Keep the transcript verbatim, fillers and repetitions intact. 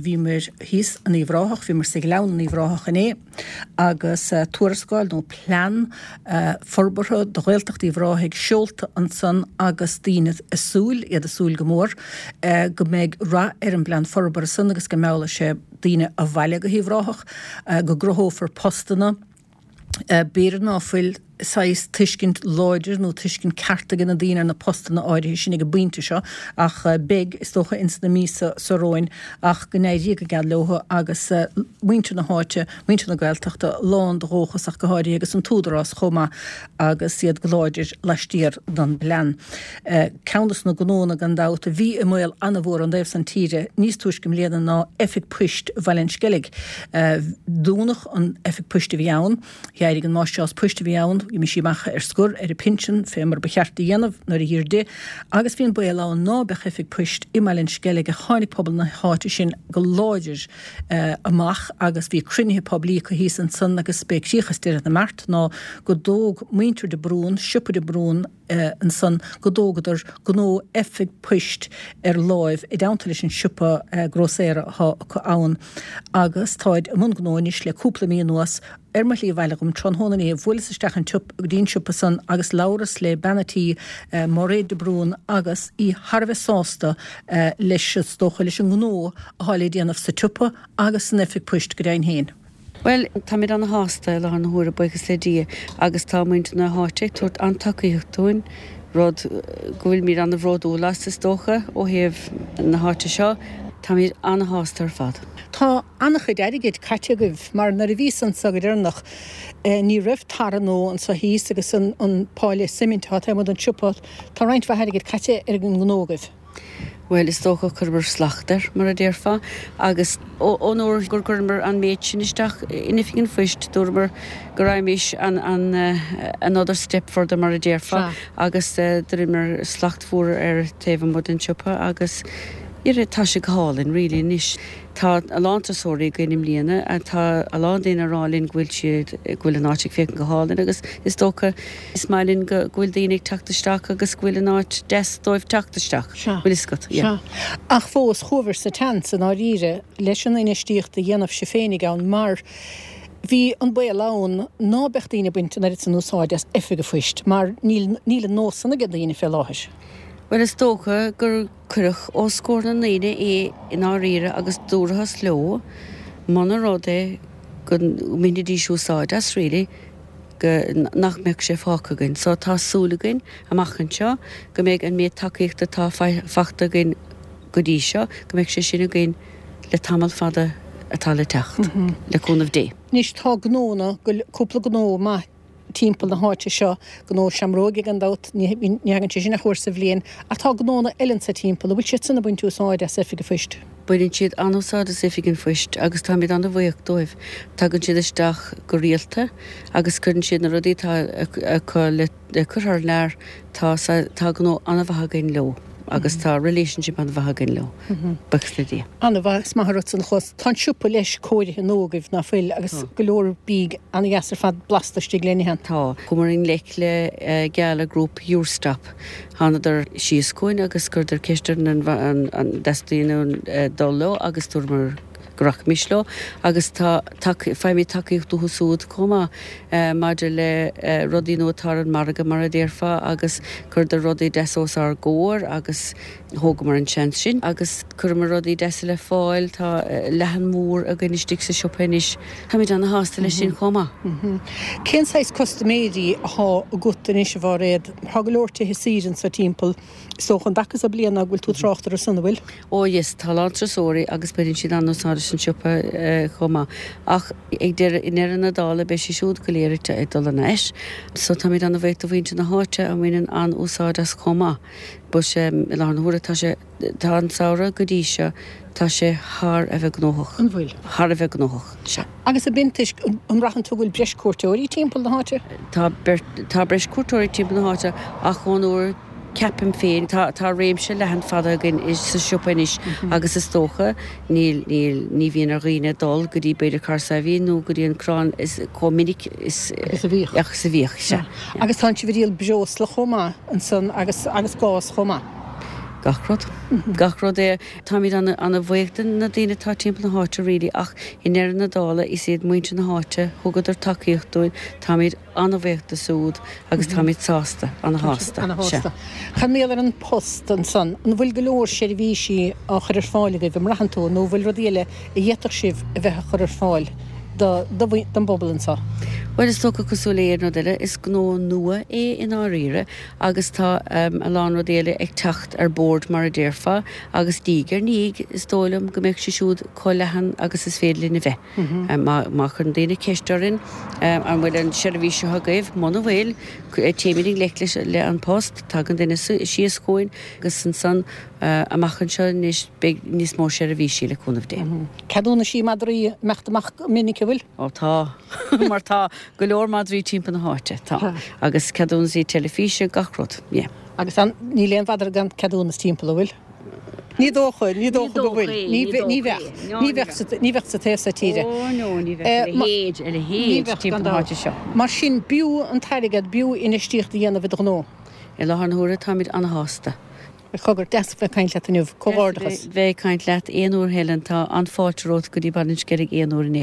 Bhíomar thíos in Uíbh Ráthach, bhíomar sa Ghleann in Uíbh Ráthach inné agus tuarascáil nó plean forbartha do Ghaeltacht Uíbh Ráthaigh seolta ansan agus daoine ag súil, iad ag súil go mór, go mbeidh rath ar an bplean forbartha san agus go meallfaidh sé daoine abhaile go hUíbh Ráthach, go gcruthófar postanna. B'fhéidir ná fuil saghas tuiscint láidir nó tuiscint ceart ag na daoine ar na postanna áirithe sin ag an bpointe seo ach beidh, is dócha, ins na míosa seo romhainn ach go n-éirí go geal leo agus muintir na háite, muintir na Gaeltachta lán de dhóchas ach go háirithe agus an tÚdarás chomh maith agus iad go láidir laistiar den bplean. Ceann dos na gnóanna gan dabht a bhí i mbaol an-mhór ón dtaobh san tíre níos túisce i mbliana ná Oifig Poist Bhaile an Sceilg. Dúnadh an oifig poist a bhí ann. D'éirigh an máistreás poist a bhí ann, d'imigh sí amach ar scor ar a pinsean, fé mar ba cheart a dhéanamh nuair a dh'iarr di, agus bhí an baol ann ná beadh oifig poist i mBaile an Sceilg ach tháinig pobal na háite sin go láidir amach agus bhí cruinnithe poiblí acu thíos ansan agus b'é críoch is deireadh na mbeart ná go dtóg muintir de Brún, siopa de Brún, ansan go dtógadar gnó oifig poist ar láimh i dteannta leis an siopa grósaera athá acu ann agus táid i mbun gnó anois le cúpla mí anuas. Ar mo shlí abhaile dhom tráthnóna inné bhuaileas isteach an go dtí an siopa san agus labhras le bean a' tí, Máiréad de Brún agus í thar a bheith sásta leis, is dócha, leis an ngnó athá le déanamh sa tsiopa agus san oifig poist go deimhin féin. Bhuel, táimid ana-shásta i láthair na huaire, buíochas le Dia, agus tá muintir na háite ag tabhairt an-tacaíocht dúinn, rud go bhfuilimid ana-bhródúil as, is dócha, ó thaobh na háite seo. Táimid ana-shásta ar fad. Tá an-chuid airgid caite agaibh, mar nuair a bhíos anso go deireanach, ní raibh tarra nua anso thíos agus an páile suimint atá taobh amuigh den siopa, tá roinnt mhaith airgid caite ar an ngnó agaibh. Bhuel, is dócha chuireamar slacht air, mar a déarfá, agus ón uair gur chuireamar an méid sin isteach in Oifig an Phoist, dúramar go raghaimis an another step further, mar a déarfá, agus d'rinneamar slacht mhór ar taobh amuigh den tsiopa agus tá sé go hálainn really anois. Tá a lán turasóirí againn i mbliana, tá a lán daoine ag rá linn go bhfuil siad, go bhfuil an áit ag féachaint go hálainn agus is dócha, is maith linn go bhfuil daoine ag teacht isteach agus go bhfuil an áit deas dóibh teacht isteach. Sea. Bhfuil fhios agat, yeah. Sea. Ach fós, chuabhair sa tseans i ndáiríre leis an infheistíocht a dhéanamh sibh féinig ann mar bhí an baol ann ná beadh daoine ag baint an oiread san úsáid as oifig a phoist mar níl, níl an nós san ag daoine fé láthair. Bhuel, is dócha gur cuireadh os comhair na ndaoine é i ndáiríre agus dúrathas leo muna rud é go mbainfidís úsáid as really go nach mbeadh sé fágtha againn. So tá súil againn amach anseo go mbeidh an méid tacaíochta atá faighte againn go dtí seo, go mbeidh sé sin againn le tamall fada atá le teacht, le cúnamh Dé. Anois tá gnónna, cúpla gnó maith timpeall na háite seo, gnó seamróige gan dabht, ní thagann sé sin ach uair sa bhliain, ach tá gnónna eile anso timpeall, an bhfuil siad san ag baint úsáid as Oifig an Phoist? Baineann siad an-úsáid as Oifig an Phoist agus táimid an-bhuíoch dóibh. Tagann siad isteach go rialta agus cuireann siad na rudaí atá acu le cur thar lear. Tá tá gnó an-mhaith againn leo agus tá relationship an-mhaith againn leo, buíochas le Dia. An-mhaith, is maith an rud san a chlos. Tá an siopa leis cóirithe nua agaibh, ná fuil, agus go leor bídh an-dheas ar fad blasta istigh le n-ithe ann. Tá. Chuamar i ngleic le Gala Group Eurostop. Thánadar síos chugainn agus chuireadar ceist orainn an an dteastaíonn uainn dul leo agus dúramar go rachaimis leo agus tá faighimid tacaíocht uathu siúd chomh maith maidir le rudaí nua atá ar an margadh mar a déarfá agus chuireadar rudaí deasa os ár gcomhair agus thógamar an seans sin agus chuireamar rudaí deasa le fáil, tá leathan mór againn istigh sa siopa anois, táimid ana-shásta leis sin chomh maith. Cén saghas custaiméirí athá agat anois a Mháiréad? Tá go leor tithe saoire anso timpeall. Is dócha an dtaca so bliana go bhfuil tú ag trácht orthu san, an bhfuil? Ó yes, tá a lán turasóirí agus baineann siad an-úsáid as an siopa chomh maith. Ach ag deireadh, i ndeireadh na dála beidh siad siúd go léir ag dul thar n-ais. So táimid an-bhuíoch do mhuintir na háite a mbaineann an-úsáid as chomh maith. But i láthair na huaire tá sé, tá an samhradh go dtí seo, tá sé thar a bheith gnóthach. An bhfuil? Thar a bheith gnóthach, sea. Agus ab in toisc, an mbraitheann tú go bhfuil breis cuairteoirí timpeall na háite? Tá, tá breis cuairteoirí timpeall na háite ach ón uair, ceapaim féin, tá, tá réimse leathan fada againn sa siopa anois agus is dócha níl, níl, ní bhíonn ar dhaoine dul go dtí b'fhéidir Carr Saidhbhín nó go dtí an Crann is chomh minic is, Agus a bhíodh. agus a bhíodh, sea. Agus tánn sibh ag díol breosla chomh maith ansan agus, agus gás chomh maith. Gach rud. Gach rud é táimid an-bhuíoch de na daoine atá timpeall na háite really ach i ndeireadh na dála is iad muintir na háite thugadar tacaíocht dúinn táimid an-bhuíoch dóibh siúd agus táimid sásta an-shásta. An-shásta. Chun míle ar an post ansan, an bhfuil go leor seirbhísí á chur ar fáil agaibh an mbraitheann tú nó bhfuil rudaí eile a d'fhéadfadh sibh a bheith a chur ar fáil don bpobal anseo. Well is dócha cosúil le aon rud eile is gnó nua é i ndáiríre agus tá um, a lán rudaí eile ag teacht ar bord mar a déarfá agus diaidh ar ndiaidh is dóigh liom go mbeidh sé siúd chomh leathan agus is féidir linn a bheith. Mm -hmm. um, má, má chuireann daoine ceist orainn um, an bhfuil an seirbhís seo agaibh muna bhfuil téimid i ngleic leis le An Post tagann duine síos chugainn agus ansan uh, amach anseo níos beidh níos mó seirbhísí le cúnamh Dé. Mm -hmm. Ceadúnaisí madraí meachta amach minic bhfuil? Ó tá mar tá go leor madraí timpeall na háite tá agus ceadúnaisí teilifíse gach rud yeah. Agus an níl aon mhadra gan ceadúnas timpeall bhfuil? Ní dócha ní dócha go bhfuil ní bheadh ní bheadh sa taobh seo tíre. seo. Mar sin b'fhiú an t-airgead b'fhiú infheistíocht a dhéanamh i do ghnó. I láthair na huaire táimid an-shásta. Cogar deas bheith caint leat inniu comhghairdeachas. Bheith caint leat aon uair Helen tá an fáilte romhat go dtí Ballinskellig aon uair in